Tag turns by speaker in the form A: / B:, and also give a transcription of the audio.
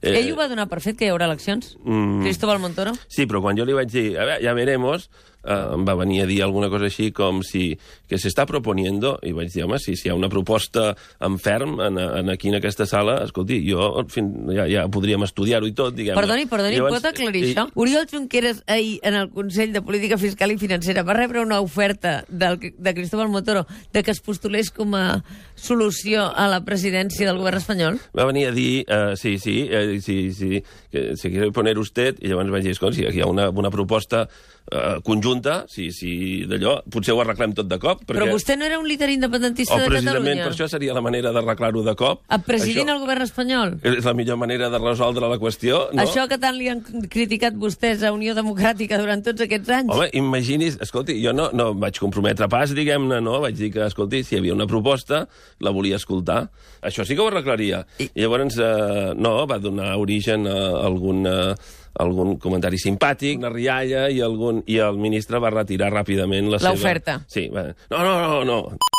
A: Ell ho va donar per fet, que hi haurà eleccions? Cristóbal Montoro?
B: Sí, però quan jo li vaig dir, a veure, ja veremos, em va venir a dir alguna cosa així com si que s'està proponiendo, i vaig dir, home, si hi ha una proposta en ferm aquí en aquesta sala, escolti, jo ja podríem estudiar-ho i tot, diguem-ne.
A: Perdoni, pot aclarir això? Oriol Junqueras ahir en el Consell de Política Fiscal i Financera va rebre una oferta de Cristóbal Montoro de que es postulés com a solució a la presidència del govern espanyol?
B: Va venir a dir, sí, que se quiere poner usted, i llavors vaig dir, escolta, si aquí hi ha una proposta conjunta, si d'allò, potser ho arreglem tot de cop.
A: Però vostè no era un líder independentista de Catalunya?
B: Precisament per això seria la manera d'arreglar-ho de cop.
A: Presidint el govern espanyol?
B: És la millor manera de resoldre la qüestió, no?
A: Això que tant li han criticat vostès a Unió Democràtica durant tots aquests anys?
B: Home, imagini's, escolti, jo no em vaig comprometre pas, diguem-ne, no? Vaig dir que, escolti, si hi havia una proposta, la volia escoltar. Això sí que ho arreglaria. I llavors, no, va donar origen a algun comentari simpàtic, una rialla, i el ministre va retirar ràpidament la seva...
A: L'oferta.
B: Sí, va... No.